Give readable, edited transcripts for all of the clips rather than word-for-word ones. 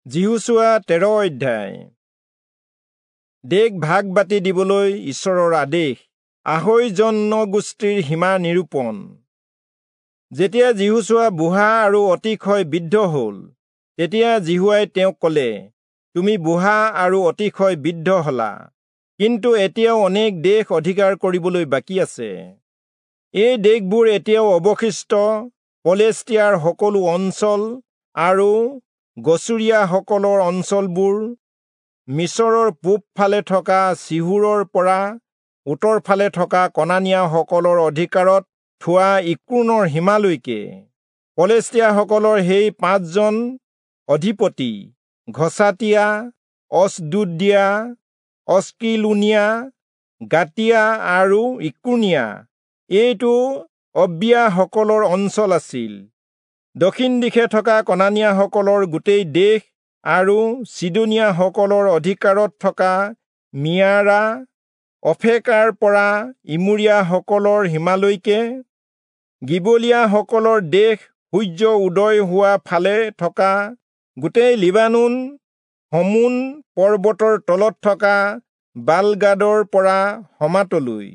যিহোচূৱা 13 অধ্যায়। দেশ ভাগ বাটি দিবলৈ ঈশ্বৰৰ আদেশ। আহৈ জনগোষ্ঠীৰ সীমা নিৰূপণ। যেতিয়া যিহোচূৱা বুঢ়া আৰু অতিশয় বৃদ্ধ হ'ল, তেতিয়া যিহোৱাই তেওঁক ক'লে, তুমি বুঢ়া আৰু অতিশয় বৃদ্ধ হলা, কিন্তু এতিয়াও অনেক দেশ অধিকাৰ কৰিবলৈ বাকী আছে। এই দেশবোৰ এতিয়াও অৱশিষ্ট পলেষ্টিয়াৰ সকলো অঞ্চল আৰু গচুৰীয়াসকলৰ অঞ্চলবোৰ, মিচৰৰ পূব ফালে থকা চিহোৰৰ পৰা উত্তৰ ফালে থকা কনানীয়াসকলৰ অধিকাৰত থোৱা ইক্ৰোনৰ সীমালৈকে। পলেষ্টিয়াসকলৰ সেই 5জন অধিপতি ঘচাতীয়া, অচদোদীয়া, অস্কিলোনীয়া, গাতীয়া আৰু ইক্ৰোনীয়া, এইটো অব্বিয়াসকলৰ অঞ্চল আছিল। দক্ষিণ দিশে থকা কনানীয়াসকলৰ গোটেই দেশ আৰু চিদোনীয়াসকলৰ অধিকাৰত থকা মিয়াৰা, অফেকাৰ পৰা ইমূৰীয়াসকলৰ সীমালৈকে, গিবলীয়াসকলৰ দেশ সূৰ্য উদয় হোৱা ফালে থকা গোটেই লিবানোন, হমোন পৰ্বতৰ তলত থকা বালগাদৰ পৰা হমাতলৈ।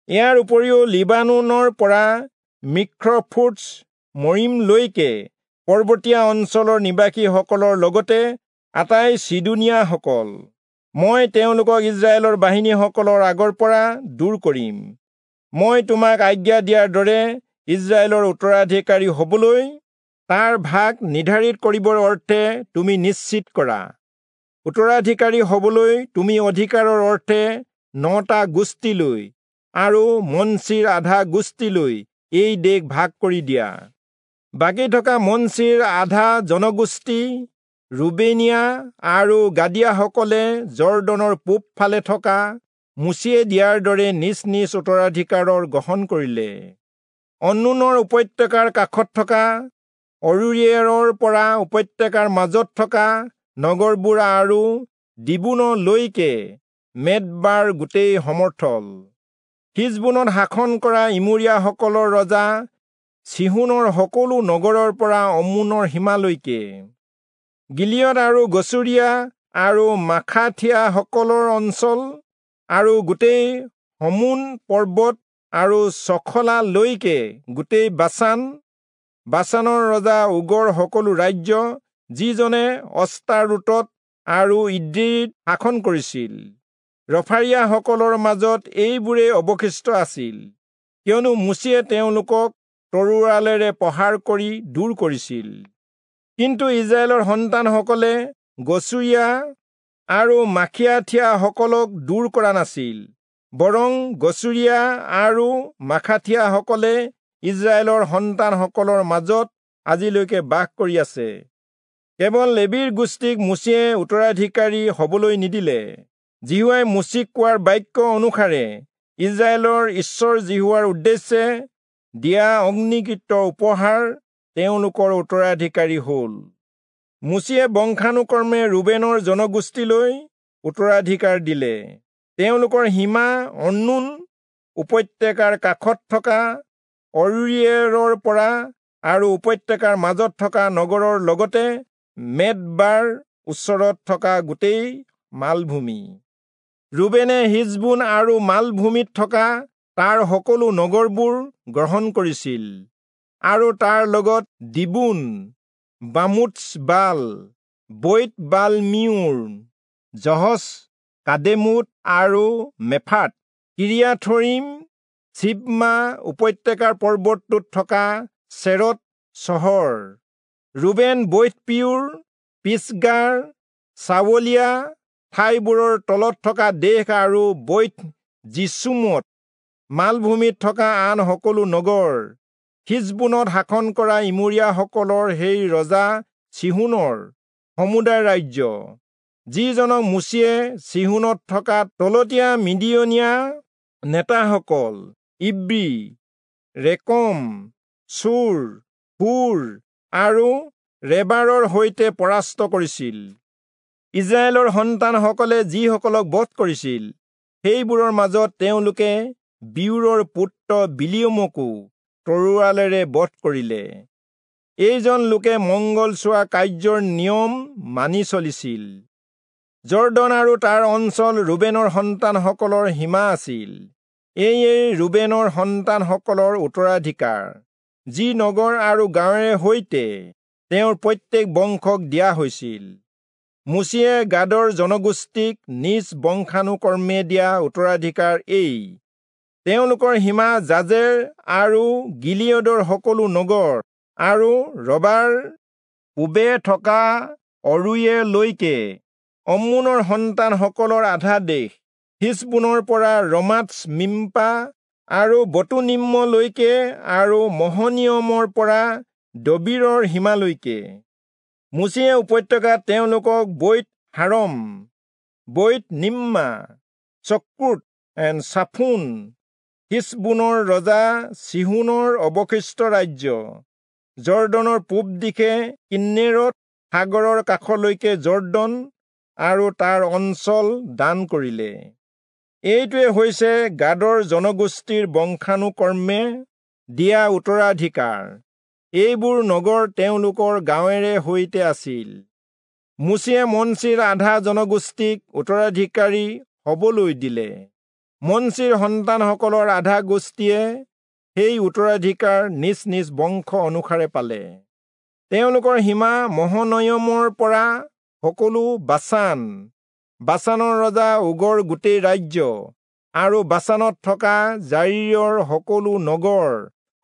ইয়াৰ উপৰিও লিবানোনৰ পৰা মিখ্ৰফুটছ মৰিমলৈকে পৰ্বতীয়া অঞ্চলৰ নিবাসীসকলৰ লগতে আটাই চিদোনীয়াসকল। মই তেওঁলোকক ইজৰাইলৰ বাহিনীসকলৰ আগৰ পৰা দূৰ কৰিম। মই তোমাক আজ্ঞা দিয়াৰ দৰে ইজৰাইলৰ উত্তৰাধিকাৰী হবলৈ তাৰ ভাগ নিৰ্ধাৰিত কৰিবৰ অৰ্থে তুমি নিশ্চিত কৰা। উত্তৰাধিকাৰী হবলৈ তুমি অধিকাৰৰ অৰ্থে 9টা গোষ্ঠীলৈ আৰু মনচিৰ আধা গোষ্ঠীলৈ এই দেশ ভাগ কৰি দিয়া। বাকী থকা মনচিৰ আধা জনগোষ্ঠী ৰুবেনীয়া আৰু গাদীয়াসকলে যৰ্দনৰ পূব ফালে থকা মোচিয়ে দিয়াৰ দৰে নিজ নিজ উত্তৰাধিকাৰৰ গ্ৰহণ কৰিলে। অন্নোনৰ উপত্যকাৰ কাষত থকা অৰোয়েৰৰ পৰা উপত্যকাৰ মাজত থকা নগৰবোৰ আৰু দিবোনলৈকে মেদবাৰ গোটেই সমৰ্থল। হিচবোনত শাসন কৰা ইমূৰীয়াসকলৰ ৰজা চিহোনৰ সকলো নগৰৰ পৰা অম্মোনৰ সীমালৈকে, গিলিয়দ আৰু গচুৰীয়া আৰু মাখাথীয়াসকলৰ অঞ্চল আৰু গোটেই হমোন পৰ্বত আৰু চখলালৈকে গোটেই বাচান, বাচানৰ ৰজা ওগৰ সকলো ৰাজ্য, যিজনে অস্তাৰোতত আৰু ইদ্ৰীত শাসন কৰিছিল। ৰফাৰীয়াসকলৰ মাজত এইবোৰেই অৱশিষ্ট আছিল, কিয়নো মোচিয়ে তেওঁলোকক তৰোৱালেৰে প্ৰহাৰ কৰি দূৰ কৰিছিল। কিন্তু ইজৰাইলৰ সন্তানসকলে গচুৰীয়া আৰু মাখিয়াথীয়াসকলক দূৰ কৰা নাছিল, বৰং গচুৰীয়া আৰু মাখাথীয়াসকলে ইজৰাইলৰ সন্তানসকলৰ মাজত আজিলৈকে বাস কৰি আছে। কেৱল লেবীৰ গোষ্ঠীক মোচিয়ে উত্তৰাধিকাৰী হবলৈ নিদিলে। যিহোৱাই মোচিক কোৱাৰ বাক্য অনুসাৰে ইজৰাইলৰ ঈশ্বৰ যিহোৱাৰ উদ্দেশ্যে দিয়া অগ্নিকৃত উপহাৰ তেওঁলোকৰ উত্তৰাধিকাৰী হ'ল। মোচিয়ে বংশানুক্ৰমে ৰুবেনৰ জনগোষ্ঠীলৈ উত্তৰাধিকাৰ দিলে। তেওঁলোকৰ সীমা অন্নোন উপত্যকাৰ কাষত থকা অৰোয়েৰৰ পৰা আৰু উপত্যকাৰ মাজত থকা নগৰৰ লগতে মেদবাৰ ওচৰত থকা গোটেই মালভূমি। ৰুবেনে হিচবোন আৰু মালভূমিত থকা তাৰ সকলো নগৰবোৰ গ্ৰহণ কৰিছিল আৰু তাৰ লগত দিবোন, বামোৎ-বাল, বৈৎ-বাল-মিয়োন, যহচ, কাদেমোত আৰু মেফাত, কিৰিয়াথয়িম, চিবমা উপত্যকাৰ পৰ্বতটোত থকা চেৰৎ চহৰ, ৰুবেন বৈৎ-পিয়োৰ, পিচগাৰ চাৱলীয়া ঠাইবোৰৰ তলত থকা দেশ আৰু বৈৎ-যিচীমোত মালভূমিত থকা আন সকলো নগৰ, হিচবোনত শাসন কৰা ইমূৰীয়াসকলৰ সেই ৰজা চিহোনৰ সমুদায় ৰাজ্য, যিজনক মোচিয়ে চিহোনত থকা তলতীয়া মিদিয়নীয়া নেতাসকল ইব্ৰী, ৰেকম, চূৰ, হূৰ আৰু ৰেবাৰৰ সৈতে পৰাস্ত কৰিছিল। ইজৰাইলৰ সন্তানসকলে যিসকলক বধ কৰিছিল, সেইবোৰৰ মাজত তেওঁলোকে বিয়োৰৰ পুত্ৰ বিলিয়মকো তৰোৱালেৰে বধ কৰিলে। এইজন লোকে মঙ্গল চোৱা কাৰ্যৰ নিয়ম মানি চলিছিল। যৰ্দন আৰু তাৰ অঞ্চল ৰুবেনৰ সন্তানসকলৰ সীমা আছিল। এয়ে ৰুবেনৰ সন্তানসকলৰ উত্তৰাধিকাৰ, যি নগৰ আৰু গাঁৱেৰে সৈতে তেওঁৰ প্ৰত্যেক বংশক দিয়া হৈছিল। মোচিয়ে গাদৰ জনগোষ্ঠীক নিজ বংশানুক্ৰমে দিয়া উত্তৰাধিকাৰ এই। তেওঁলোকৰ সীমা জাজেৰ আৰু গিলিয়দৰ সকলো নগৰ আৰু ৰবাৰ পূবে থকা অৰোয়েৰলৈকে, অম্মোনৰ সন্তানসকলৰ আধা দেশ, হিচবোনৰ পৰা ৰমাৎ-মিম্পা আৰু বতোনীমলৈকে আৰু মহনিয়মৰ পৰা দবীৰৰ সীমালৈকে। মোচিয়ে উপত্যকাত তেওঁলোকক বৈৎ-হাৰম, বৈৎ-নিম্ৰা, চক্কোৎ এণ্ড চাফোন, হিচবোনৰ ৰজা চীহোনৰ অৱশিষ্ট ৰাজ্য, যৰ্দনৰ পূব দিশে কিন্নেৰত সাগৰৰ কাষলৈকে যৰ্দন আৰু তাৰ অঞ্চল দান কৰিলে। এইটোৱে হৈছে গাদৰ জনগোষ্ঠীৰ বংশানুক্ৰমে দিয়া উত্তৰাধিকাৰ। এইবোৰ নগৰ তেওঁলোকৰ গাঁৱেৰে সৈতে আছিল। মোচিয়ে মনচিৰ আধা জনগোষ্ঠীক উত্তৰাধিকাৰী হবলৈ দিলে। মনচিৰ সন্তানসকলৰ আধা গোষ্ঠীয়ে সেই উত্তৰাধিকাৰ নিজ নিজ বংশ অনুসাৰে পালে। তেওঁলোকৰ সীমা মহনয়মৰ পৰা সকলো বাচান, বাচানৰ ৰজা ওগৰ গোটেই ৰাজ্য আৰু বাচানত থকা যায়ীৰৰ সকলো নগৰ,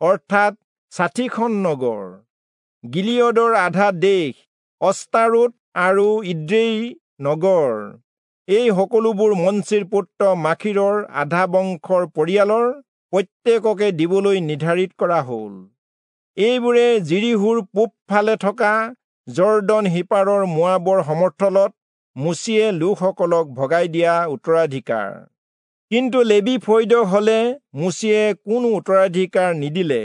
অৰ্থাৎ 60খন নগৰ, গিলিয়দৰ আধা দেশ, অস্তাৰোত আৰু ইদ্ৰেই নগৰ। এই সকলোবোৰ মনচিৰ পুত্ৰ মাখীৰৰ আধা বংশৰ পৰিয়ালৰ প্ৰত্যেককে দিবলৈ নিৰ্ধাৰিত কৰা হ'ল। এইবোৰে যিৰীহোৰ পূব ফালে থকা যৰ্দন সিপাৰৰ মোৱাবৰ সমথলত মোচিয়ে লোকসকলক ভগাই দিয়া উত্তৰাধিকাৰ। কিন্তু লেবী ফৈদক হলে মোচিয়ে কোনো উত্তৰাধিকাৰ নিদিলে।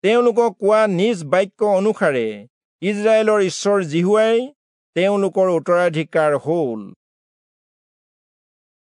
তেওঁলোকক কোৱা নিজ বাক্য অনুসাৰে ইস্ৰায়েলৰ ঈশ্বৰ যিহোৱাই তেওঁলোকৰ উত্তৰাধিকাৰ হ'ল।